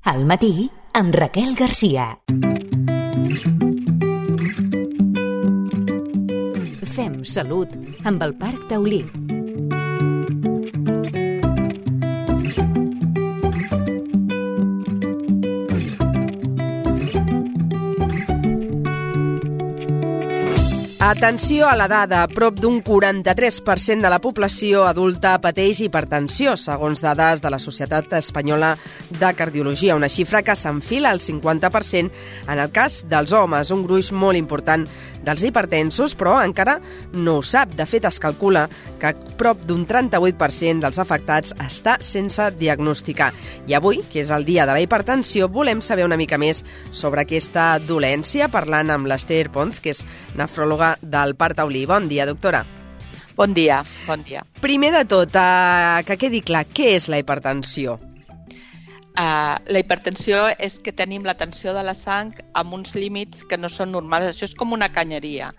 Al matí, amb Raquel Garcia. Fem salut amb el Parc Taulí. Atenció a la dada, prop d'un 43% de la població adulta pateix hipertensió, segons dades de la Societat Espanyola de Cardiologia, una xifra que s'enfila al 50% en el cas dels homes, un gruix molt important dels hipertensos, però encara no ho sap. De fet, es calcula que prop d'un 38% dels afectats està sense diagnosticar. I avui, que és el dia de la hipertensió, volem saber una mica més sobre aquesta dolència, parlant amb l'Ester Ponz, que és nefròloga del Parc Taulí. Bon dia, doctora. Bon dia, bon dia. Primer de tot, que quedi clar, què és la hipertensió? La hipertensió és que tenim la tensió de la sang amb uns límits que no són normals. Això és com una canyeria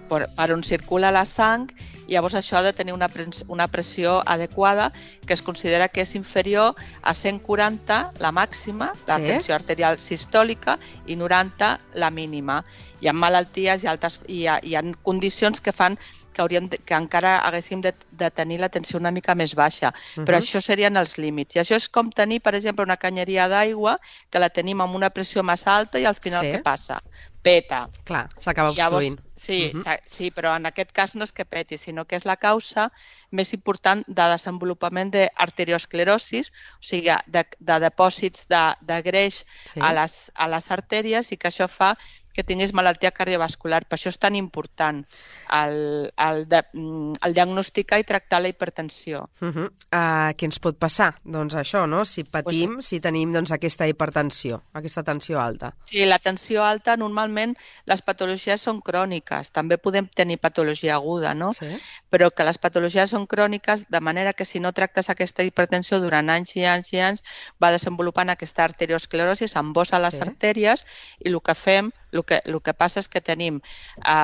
per on circula la sang, i llavors això ha de tenir una pressió adequada que es considera que és inferior a 140, la màxima, la tensió arterial sistòlica, i 90, la mínima. Hi ha malalties hi ha condicions que fan que encara haguéssim de tenir la tensió una mica més baixa, però això serien els límits. I això és com tenir, per exemple, una canyeria d'aigua que la tenim amb una pressió massa alta i al final què passa? Peta. Clar, s'acaba obstruint. Sí, però en aquest cas no és que peti, sinó que és la causa més important de desenvolupament d'arteriosclerosis, o sigui, de depòsits de greix a les artèries, i que això fa que tinguis malaltia cardiovascular. Per això és tan important el diagnosticar i tractar la hipertensió. Què ens pot passar? Doncs això, no? Si patim, si tenim aquesta hipertensió, aquesta tensió alta. Sí, la tensió alta, normalment les patologies són cròniques. També podem tenir patologia aguda, no? Però que les patologies són cròniques, de manera que si no tractes aquesta hipertensió durant anys i anys i anys, va desenvolupant aquesta arteriosclerosi, s'embossa les artèries, i el que fem, el que passa és que tenim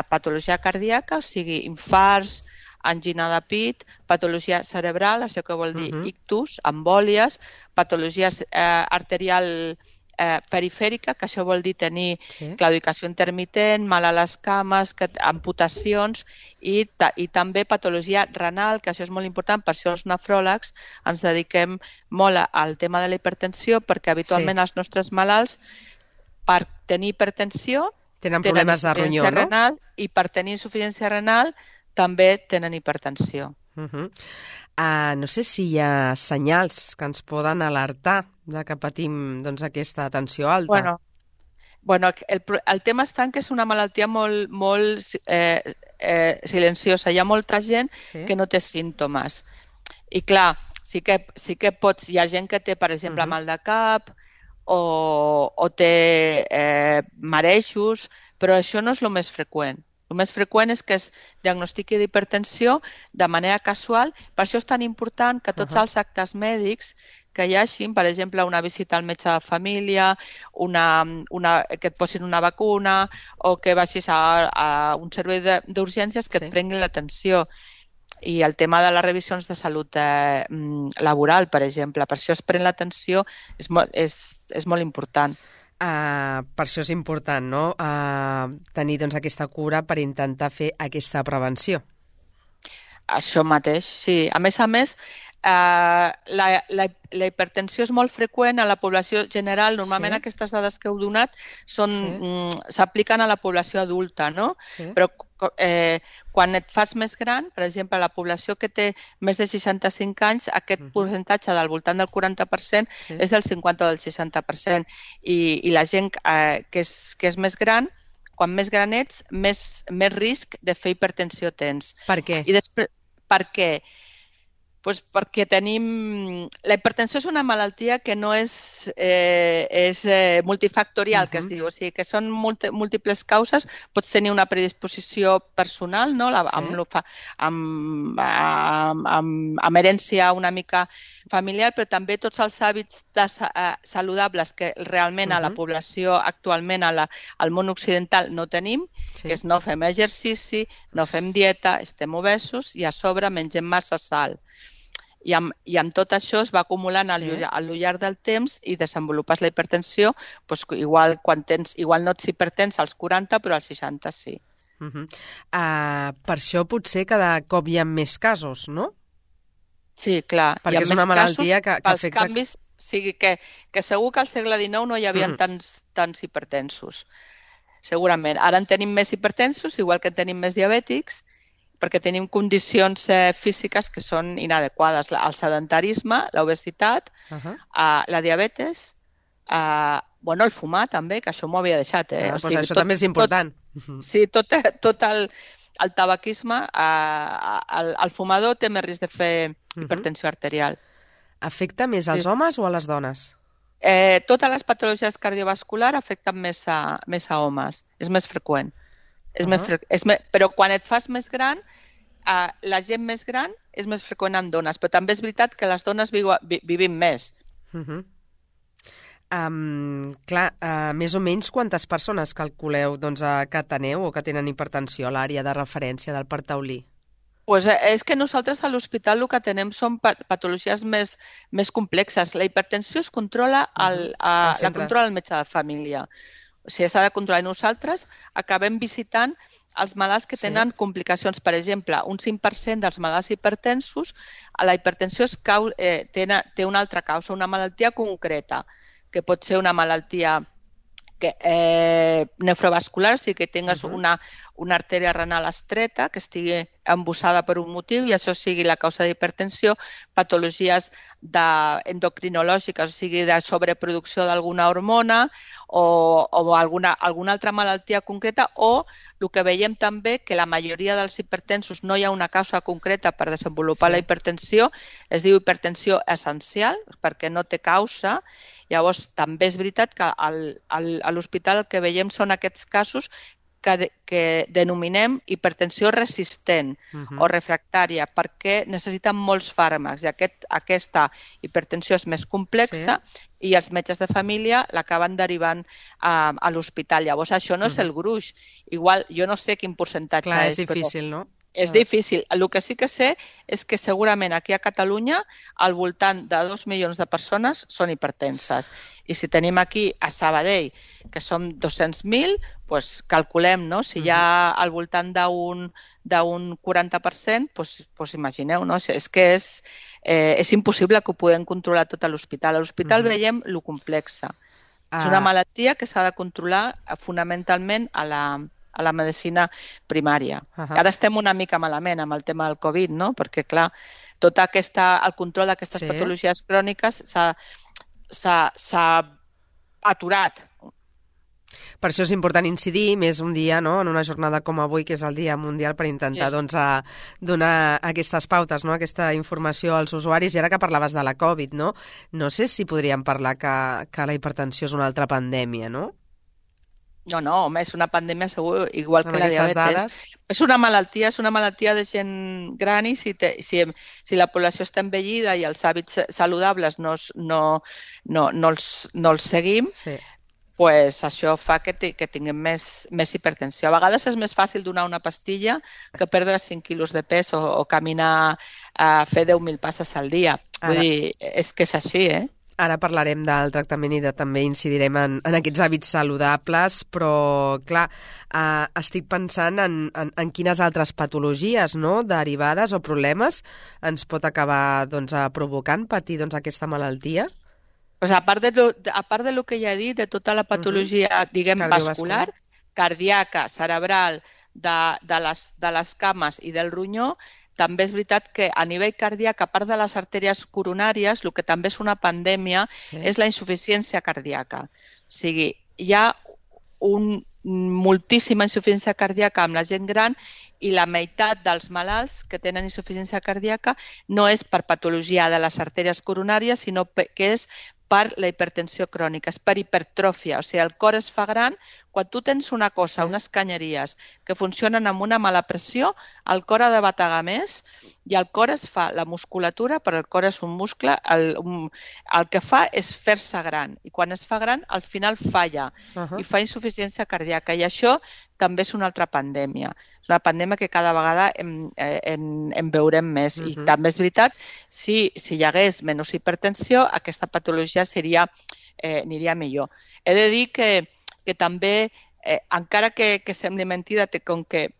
patologia cardíaca, o sigui, infarts, angina de pit, patologia cerebral, això que vol dir ictus, embòlies, patologia arterial perifèrica, que això vol dir tenir claudicació intermitent, mal a les cames, amputacions, i també patologia renal, que això és molt important. Per això els nefròlegs ens dediquem molt al tema de la hipertensió, perquè habitualment els nostres malalts, per tenir hipertensió, tenen problemes de ronyó, no? Renal, i per tenir insuficiència renal també tenen hipertensió. No sé si hi ha senyals que ens poden alertar de que patim aquesta tensió alta. Bueno, el tema està en que és una malaltia molt silenciosa. Hi ha molta gent que no té símptomes. I clar, sí que pots... Hi ha gent que té, per exemple, mal de cap, o té marejos, però això no és el més freqüent. El més freqüent és que es diagnostiqui d'hipertensió de manera casual. Per això és tan important que tots els actes mèdics que hi hagin, per exemple, una visita al metge de família, que et posin una vacuna, o que vagis a un servei d'urgències, que et prenguin l'atenció. I el tema de les revisions de salut laboral, per exemple, per això es pren l'atenció, és molt important. Per això és important, no?, tenir aquesta cura per intentar fer aquesta prevenció. Això mateix, sí. A més, la hipertensió és molt freqüent a la població general. Normalment aquestes dades que heu donat s'apliquen a la població adulta, no? Però quan et fas més gran, per exemple, la població que té més de 65 anys, aquest percentatge del voltant del 40% és del 50 o del 60%. I la gent que és més gran, quan més gran ets, més risc de fer hipertensió tens. Per què? Per què? Perquè tenim... La hipertensió és una malaltia que no és multifactorial, que es diu. O sigui, que són múltiples causes. Pots tenir una predisposició personal, no?, amb herència una mica familiar, però també tots els hàbits saludables que realment a la població actualment al món occidental no tenim, que és no fem exercici, no fem dieta, estem obesos i a sobre mengem massa sal. I amb tot això es va acumulant al llarg del temps i desenvolupes la hipertensió, doncs igual no ets hipertens als 40, però als 60 sí. Per això potser cada cop hi ha més casos, no? Sí, clar. Perquè és una malaltia que afecta... Canvis, sigui que segur que al segle XIX no hi havia tants hipertensos. Segurament. Ara en tenim més hipertensos, igual que en tenim més diabètics, perquè tenim condicions físiques que són inadequades. El sedentarisme, l'obesitat, la diabetes, el fumar també, que això m'ho havia deixat. Això també és important. Sí, tot el tabaquisme, el fumador té més risc de fer hipertensió arterial. Afecta més als homes o a les dones? Totes les patologies cardiovasculars afecten més a homes. És més freqüent. Però quan et fas més gran, la gent més gran és més freqüent en dones. Però també és veritat que les dones vivim més. Més o menys quantes persones calculeu que teneu o que tenen hipertensió a l'àrea de referència del Parc Taulí? És que nosaltres a l'hospital el que tenem són patologies més complexes. La hipertensió es controla, la controla el metge de família. O sigui, s'ha de controlar. I nosaltres acabem visitant els malalts que tenen complicacions. Per exemple, un 5% dels malalts hipertensos, la hipertensió té una altra causa, una malaltia concreta, que pot ser una malaltia nefrovascular, o sigui que tingues una artèria renal estreta que estigui embussada per un motiu i això sigui la causa d'hipertensió, patologies endocrinològiques, o sigui de sobreproducció d'alguna hormona o alguna altra malaltia concreta, o el que veiem també que la majoria dels hipertensos no hi ha una causa concreta per desenvolupar la hipertensió, es diu hipertensió essencial perquè no té causa. Llavors, també és veritat que a l'hospital el que veiem són aquests casos que denominem hipertensió resistent o refractària, perquè necessiten molts fàrmacs i aquesta hipertensió és més complexa i els metges de família l'acaben derivant a l'hospital. Llavors, això no és el gruix. Igual, jo no sé quin percentatge és. Clar, és difícil, no? És difícil. El que sí que sé és que segurament aquí a Catalunya al voltant de 2 milions de persones són hipertenses. I si tenim aquí a Sabadell, que som 200.000, doncs calculem, no? Si hi ha al voltant d'un 40%, doncs imagineu, no? És que és impossible que ho puguem controlar tot a l'hospital. A l'hospital veiem lo complexa. És una malaltia que s'ha de controlar fonamentalment a la medicina primària. Ara estem una mica malament amb el tema del Covid, no? Perquè, clar, el control d'aquestes patologies cròniques s'ha aturat. Per això és important incidir més un dia, no?, en una jornada com avui, que és el Dia Mundial, per intentar donar aquestes pautes, no?, aquesta informació als usuaris. I ara que parlaves de la Covid, no sé si podríem parlar que la hipertensió és una altra pandèmia, no? No, home, és una pandèmia segur, igual que la diabetes. És una malaltia de gent gran i si la població està envellida i els hàbits saludables no els seguim, pues això fa que tinguem més hipertensió. A vegades és més fàcil donar una pastilla que perdre 5 quilos de pes o caminar a fer 10.000 passes al dia. Vull dir, és que és així, Ara parlarem del tractament i també incidirem en aquests hàbits saludables, però, clar, estic pensant en quines altres patologies, no?, derivades o problemes ens pot acabar provocant patir aquesta malaltia. Pues a part de lo que ja he dit, de tota la patologia, diguem, vascular, cardíaca, cerebral, de les cames i del ronyó, també és veritat que a nivell cardíac, a part de les artèries coronàries, el que també és una pandèmia és la insuficiència cardíaca. O sigui, hi ha moltíssima insuficiència cardíaca amb la gent gran i la meitat dels malalts que tenen insuficiència cardíaca no és per patologia de les artèries coronàries, sinó que és per la hipertensió crònica, és per hipertròfia. O sigui, el cor es fa gran quan tu tens una cosa, unes canyeries que funcionen amb una mala pressió, el cor ha de bategar més i el cor es fa, la musculatura, però el cor és un muscle, el que fa és fer-se gran. I quan es fa gran, al final falla i fa insuficiència cardíaca. I això també és una altra pandèmia. És una pandèmia que cada vegada en veurem més. I també és veritat, si hi hagués menys hipertensió, aquesta patologia aniria millor. He de dir que també, encara que sembli mentida, com que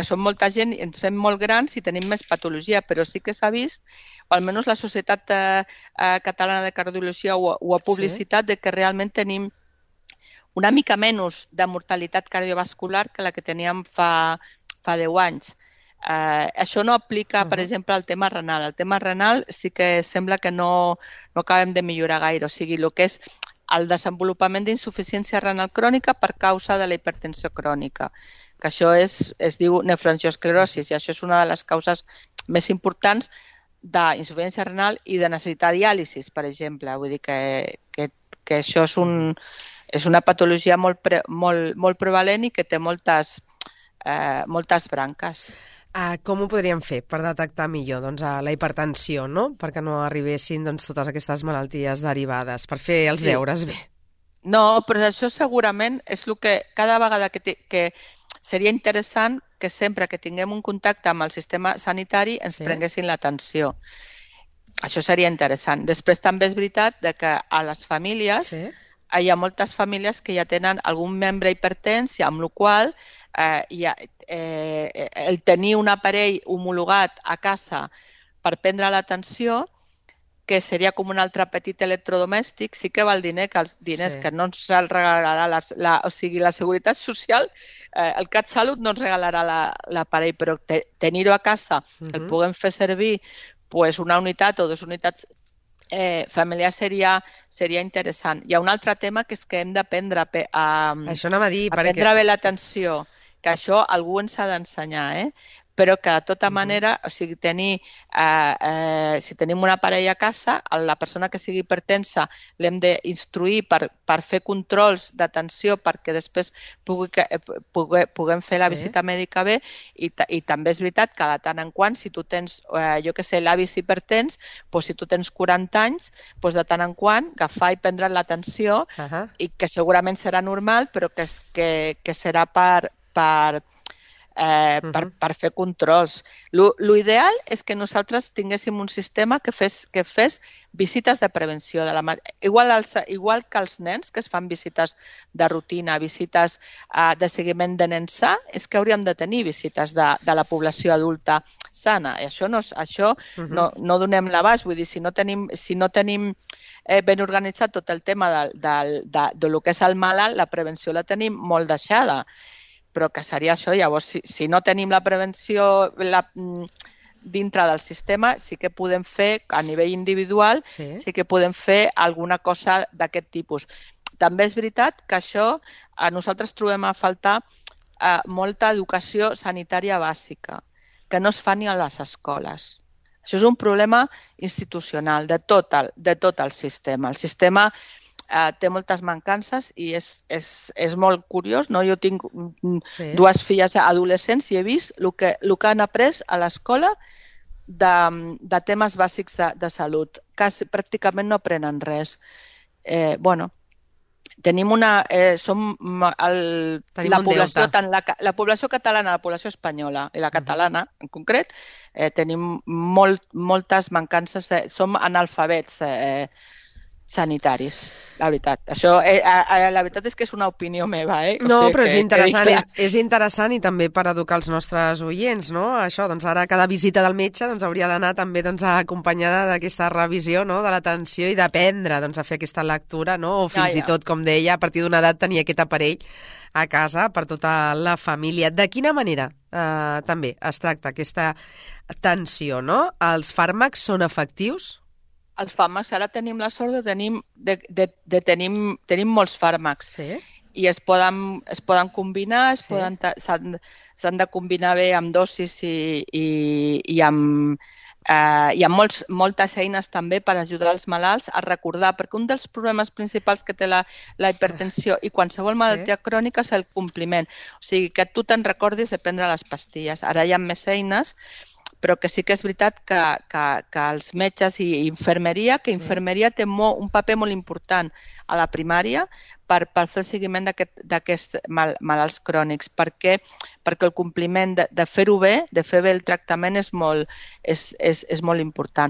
som molta gent i ens fem molt grans i tenim més patologia, però sí que s'ha vist, o almenys la Societat Catalana de Cardiologia ho ha publicitat, de que realment tenim una mica menys de mortalitat cardiovascular que la que teníem fa 10 anys. Això no aplica, per exemple, al tema renal. El tema renal sí que sembla que no acabem de millorar gaire. O sigui, el que és el desenvolupament d'insuficiència renal crònica per causa de la hipertensió crònica, que això es diu nefroangiosclerosi, i això és una de les causes més importants d'insuficiència renal i de necessitar diàlisi, per exemple. Vull dir que això és una patologia molt prevalent i que té moltes branques. Com ho podríem fer per detectar millor la hipertensió, no? Perquè no arribessin totes aquestes malalties derivades, per fer els deures bé. No, però això segurament és el que cada vegada que seria interessant que sempre que tinguem un contacte amb el sistema sanitari ens prenguessin l'atenció. Això seria interessant. Després també és veritat que a les famílies hi ha moltes famílies que ja tenen algun membre hipertens, amb la qual el tenir un aparell homologat a casa per prendre l'atenció, que seria com un altre petit electrodomèstic, sí que val diners que no ens el regalarà o sigui, la Seguretat Social, el CatSalut no ens regalarà l'aparell, però tenir-ho a casa, el puguem fer servir una unitat o 2 unitats familiars seria interessant. Hi ha un altre tema que és que hem d'aprendre a prendre bé l'atenció, que això algú ens ha d'ensenyar, però que de tota manera, o sigui, si tenim una parella a casa, la persona que sigui hipertensa l'hem d'instruir per fer controls d'atenció perquè després puguem fer la visita mèdica bé i també és veritat que de tant en quant, si tu tens, l'avis hipertens, si tu tens 40 anys, de tant en quant agafar i prendre l'atenció i que segurament serà normal, però que serà per fer controls. L'ideal és que nosaltres tinguéssim un sistema que fes visites de prevenció. Igual que els nens, que es fan visites de rutina, visites de seguiment de nen sa, és que hauríem de tenir visites de la població adulta sana. I això no donem l'abast. Vull dir, si no tenim ben organitzat tot el tema del que és el malalt, la prevenció la tenim molt deixada. Però que seria això. Llavors, si no tenim la prevenció dintre del sistema, sí que podem fer, a nivell individual, sí que podem fer alguna cosa d'aquest tipus. També és veritat que això a nosaltres trobem a faltar molta educació sanitària bàsica, que no es fa ni a les escoles. Això és un problema institucional de tot el sistema. El sistema té moltes mancances i és molt curiós, no? Jo tinc 2 filles adolescents i he vist el que han après a l'escola de temes bàsics de salut. Pràcticament no aprenen res. Tenim la població catalana, la població espanyola i la catalana en concret, tenim moltes mancances, som analfabets sanitaris, la veritat. Això, la veritat és que és una opinió meva, No, però és interessant i també per educar els nostres oients, no? Això, ara cada visita del metge hauria d'anar també acompanyada d'aquesta revisió, no?, de l'atenció i d'aprendre a fer aquesta lectura, no? O fins i tot, com deia, a partir d'una edat tenir aquest aparell a casa per tota la família. De quina manera també es tracta aquesta tensió, no? Els fàrmacs són efectius? Els fàrmacs, ara tenim la sort de tenir molts fàrmacs i es poden combinar, s'han de combinar bé amb dosis i amb hi ha moltes eines també per ajudar els malalts a recordar, perquè un dels problemes principals que té la hipertensió i qualsevol malaltia crònica és el compliment. O sigui, que tu te'n recordis de prendre les pastilles. Ara hi ha més eines, però que sí que és veritat que els metges i infermeria, que infermeria té un paper molt important a la primària per fer el seguiment d'aquests malalts crònics, perquè el compliment de fer-ho bé, de fer bé el tractament és molt important.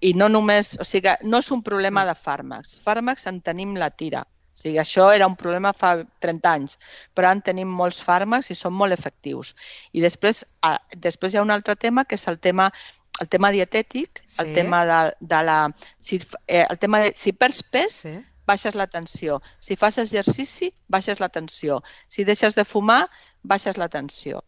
I no només, o sigui, no és un problema de fàrmacs. Fàrmacs en tenim la tira. O sigui, això era un problema fa 30 anys, però ara en tenim molts fàrmacs i són molt efectius. I després hi ha un altre tema, que és el tema dietètic, el tema de si perds pes, baixes la tensió. Si fas exercici, baixes la tensió. Si deixes de fumar, baixes la tensió.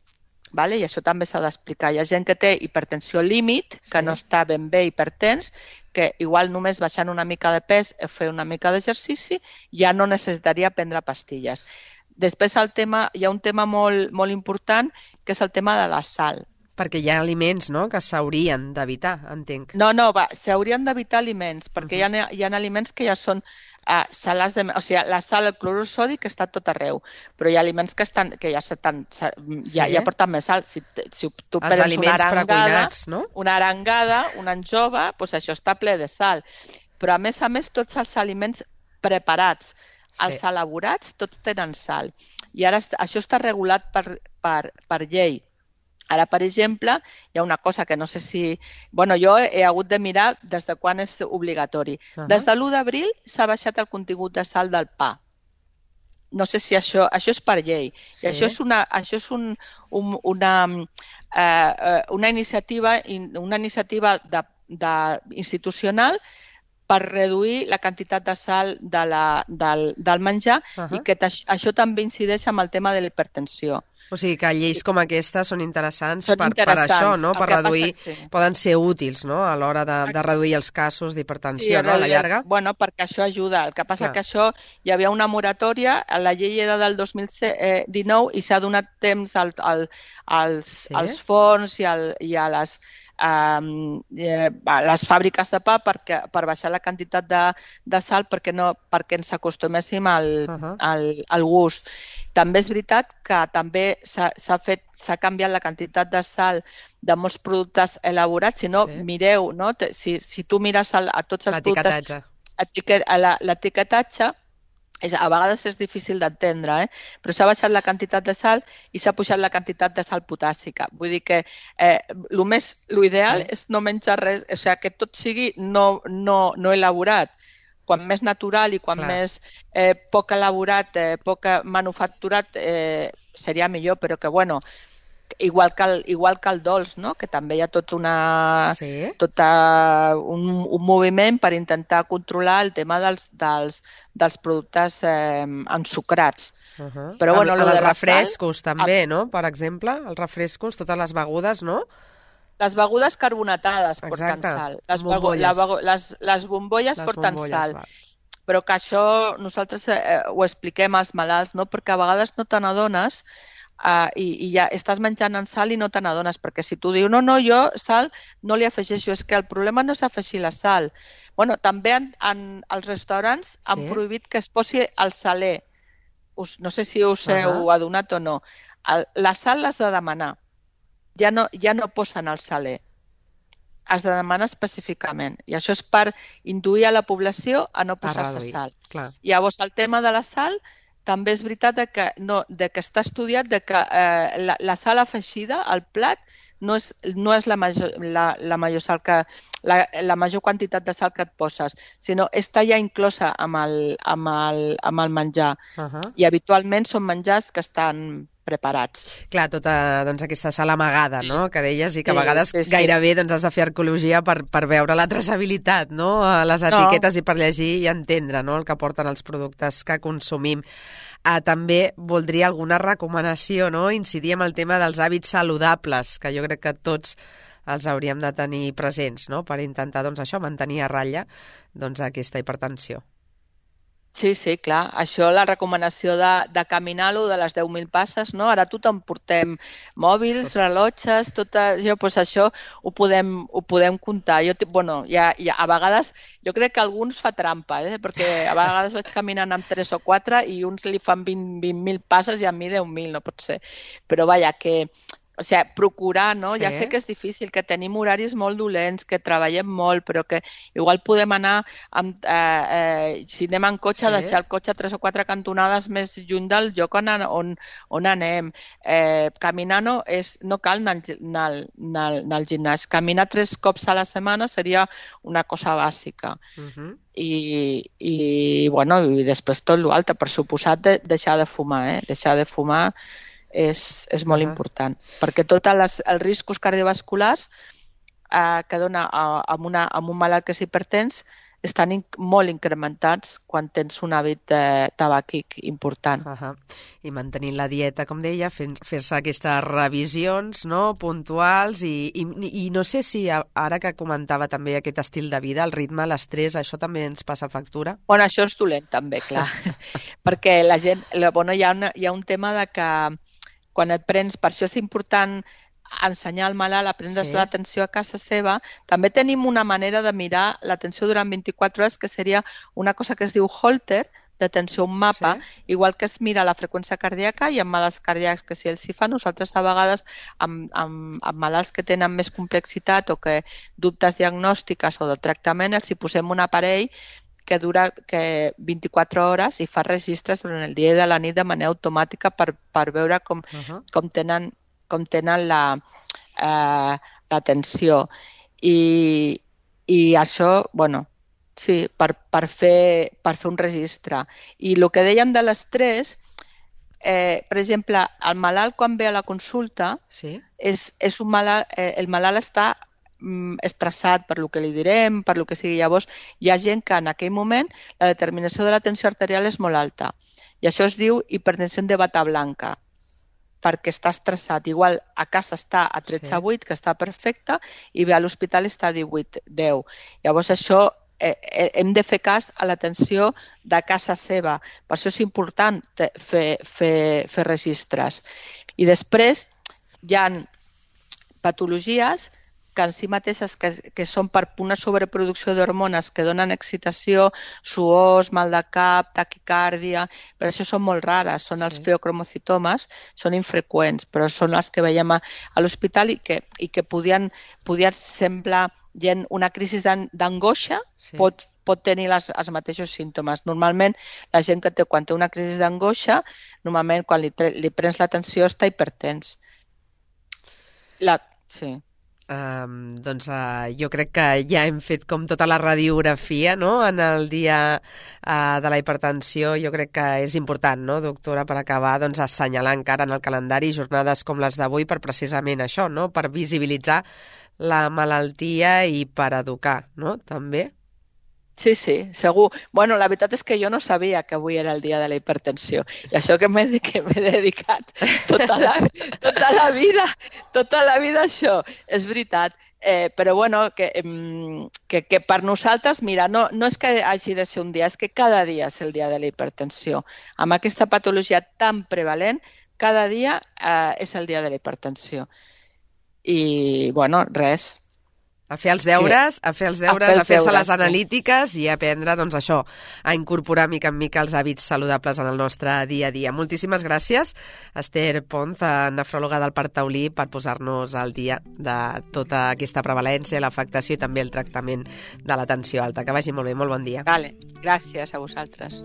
I això també s'ha d'explicar. Hi ha gent que té hipertensió límit, que no està ben bé hipertens, que igual només baixant una mica de pes o fer una mica d'exercici ja no necessitaria prendre pastilles. Després hi ha un tema molt important, que és el tema de la sal. Perquè hi ha aliments, no?, que s'haurien d'evitar, entenc. No, s'haurien d'evitar aliments, perquè hi ha aliments que ja són salats o sigui, la sal, el clorur sòdic està tot arreu, però hi ha aliments que ja porten més sal. Si tu prens una arengada, una anjova, doncs això està ple de sal. Però a més, tots els aliments preparats, els elaborats, tots tenen sal. I ara això està regulat per llei. Ara, per exemple, hi ha una cosa que no sé si... jo he hagut de mirar des de quan és obligatori. Des de l'1 d'abril s'ha baixat el contingut de sal del pa. No sé si això és per llei. I això és una iniciativa institucional per reduir la quantitat de sal del menjar i que això també incideix amb el tema de la hipertensió. O sigui que lleis com aquestes són interessants per això, no? Per reduir, poden ser útils, no?, a l'hora de reduir els casos d'hipertensió, no?, a la llarga. Bueno, perquè això ajuda. El que passa que això hi havia una moratòria, la llei era del 2019 i s'ha donat temps als forns i a les fàbriques de pa per baixar la quantitat de sal perquè ens acostuméssim al gust. També és veritat que també s'ha canviat la quantitat de sal de molts productes elaborats. Si no, mireu, no? Si tu mires a tots els productes, l'etiquetatge, a vegades és difícil d'entendre, però s'ha baixat la quantitat de sal i s'ha pujat la quantitat de sal potàssica. Vull dir que l'ideal és no menjar res, o sigui, que tot sigui no elaborat. Quan més natural i quan més poc elaborat, poc manufacturat, seria millor, però que, igual que el dolç, no?, que també hi ha tot un moviment per intentar controlar el tema dels productes ensucrats. Però els refrescos també, no?, per exemple, els refrescos, totes les begudes, no?, les begudes carbonatades porten sal. Les bombolles porten sal. Però que això nosaltres ho expliquem als malalts, no? Perquè a vegades no te n'adones i ja estàs menjant en sal i no te n'adones. Perquè si tu dius, no, jo sal no li afegeixo. És que el problema no és afegir la sal. També als restaurants han prohibit que es posi el saler. No sé si us heu adonat o no. La sal l'has de demanar. Ja no posen el saler. Has de demanar específicament. I això és per induir a la població a no posar-se sal. Llavors, el tema de la sal, també és veritat que està estudiat que la sal afegida al plat no és la major quantitat de sal que et poses, sinó està ja inclosa amb el menjar. I habitualment són menjars que estan preparats. Clar, tota aquesta sal amagada, no?, que deies, i que a vegades gairebé has de fer arqueologia per veure la traçabilitat, no?, a les etiquetes i per llegir i entendre, no?, el que porten els productes que consumim. També voldria alguna recomanació, no?, incidir en el tema dels hàbits saludables, que jo crec que tots els hauríem de tenir presents, no?, per intentar, mantenir a ratlla aquesta hipertensió. Sí, clar. Això, la recomanació de caminar-lo de les 10.000 passes, no? Ara tothom portem mòbils, rellotges, tot això, doncs això ho podem comptar. A vegades, jo crec que alguns fa trampa, perquè a vegades vaig caminant amb 3 o 4 i uns li fan 20.000 passes i a mi 10.000, no pot ser. Però vaja, que... O sigui, procurar, no? Sí. Ja sé que és difícil, que tenim horaris molt dolents, que treballem molt, però que igual podem anar, si anem en cotxe, deixar el cotxe 3 o 4 cantonades més lluny del lloc on anem. Caminar no cal anar al gimnàs. Caminar 3 cops a la setmana seria una cosa bàsica. I després tot l'altre. Per suposat, deixar de fumar. Deixar de fumar és molt important, perquè tots els riscos cardiovasculars que dona amb un malalt que és hipertens estan molt incrementats quan tens un hàbit tabàquic important. I mantenint la dieta, com deia, fer-se aquestes revisions, no?, puntuals i no sé si ara que comentava també aquest estil de vida, el ritme, l'estrès, això també ens passa factura? Bueno, això és dolent també, clar, perquè la gent, hi ha un tema de que quan et prens, per això és important ensenyar al malalt a prendre's l'atenció a casa seva. També tenim una manera de mirar l'atenció durant 24 hores, que seria una cosa que es diu Holter, d'atenció a un mapa, igual que es mira la freqüència cardíaca i amb malalts cardíacs que si els hi fa, nosaltres a vegades amb malalts que tenen més complexitat o que dubtes diagnòstiques o de tractament, els hi posem un aparell que dura 24 hores i fa registres durant el dia i de la nit de manera automàtica per veure com tenen l'atenció. I això, per fer un registre. I el que dèiem de l'estrès, per exemple, el malalt quan ve a la consulta, el malalt està estressat per lo que li direm, per lo que sigui. Llavors, hi ha gent que en aquell moment la determinació de la tensió arterial és molt alta. I això es diu hipertensió de bata blanca, perquè està estressat. Igual a casa està a 13,8, que està perfecte, i ve a l'hospital està a 18,10. Llavors, això hem de fer cas a l'atenció de casa seva. Per això és important fer registres. I després hi ha patologies que en si mateixes que són per una sobreproducció d'hormones que donen excitació, suors, mal de cap, taquicàrdia, però això són molt rares, són els feocromocitomes, són infreqüents, però són les que veiem a l'hospital i que podien semblar una crisi d'angoixa, pot tenir els mateixos símptomes. Normalment, la gent que quan té una crisi d'angoixa, normalment quan li prens l'atenció està hipertens. Jo crec que ja hem fet com tota la radiografia, no?, en el dia de la hipertensió. Jo crec que és important, no, doctora, per acabar assenyalar encara en el calendari jornades com les d'avui per precisament això, no?, per visibilitzar la malaltia i per educar, no?, també. Sí, segur. Bueno, la veritat és que jo no sabia que avui era el dia de la hipertensió. I això que m'he dedicat tota la vida a això. És veritat. Però bueno, que per nosaltres, mira, no és que hagi de ser un dia, és que cada dia és el dia de la hipertensió. Amb aquesta patologia tan prevalent, cada dia és el dia de la hipertensió. I, bueno, res. A fer els deures, a fer-se les analítiques i a aprendre, això, a incorporar mica en mica els hàbits saludables en el nostre dia a dia. Moltíssimes gràcies, Esther Ponz, nefròloga del Parc Taulí, per posar-nos al dia de tota aquesta prevalència, l'afectació i també el tractament de la tensió alta. Que vagi molt bé, molt bon dia. Vale, gràcies a vosaltres.